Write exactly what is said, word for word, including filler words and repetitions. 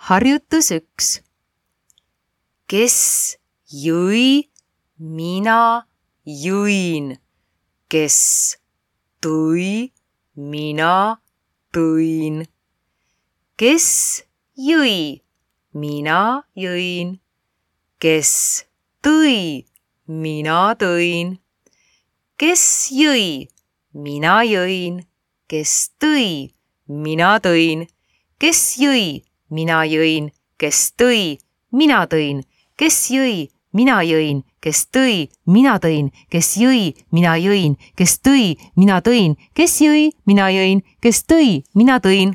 Harjutus üks. Kes jõi, mina jõin. Kes tõi, mina tõin. Kes jõi, mina jõin. Kes tõi, mina tõin. Kes jõi, mina jõin. Kes tõi, mina tõin. Kes jõi, mina jõin. Kes tõi, mina tõin. Kes jõi, mina jõin. Kes tõi, mina tõin. Kes jõi, mina jõin. Kes tõi, mina tõin. Kes jõi, mina jõin. Kes tõi, mina tõin.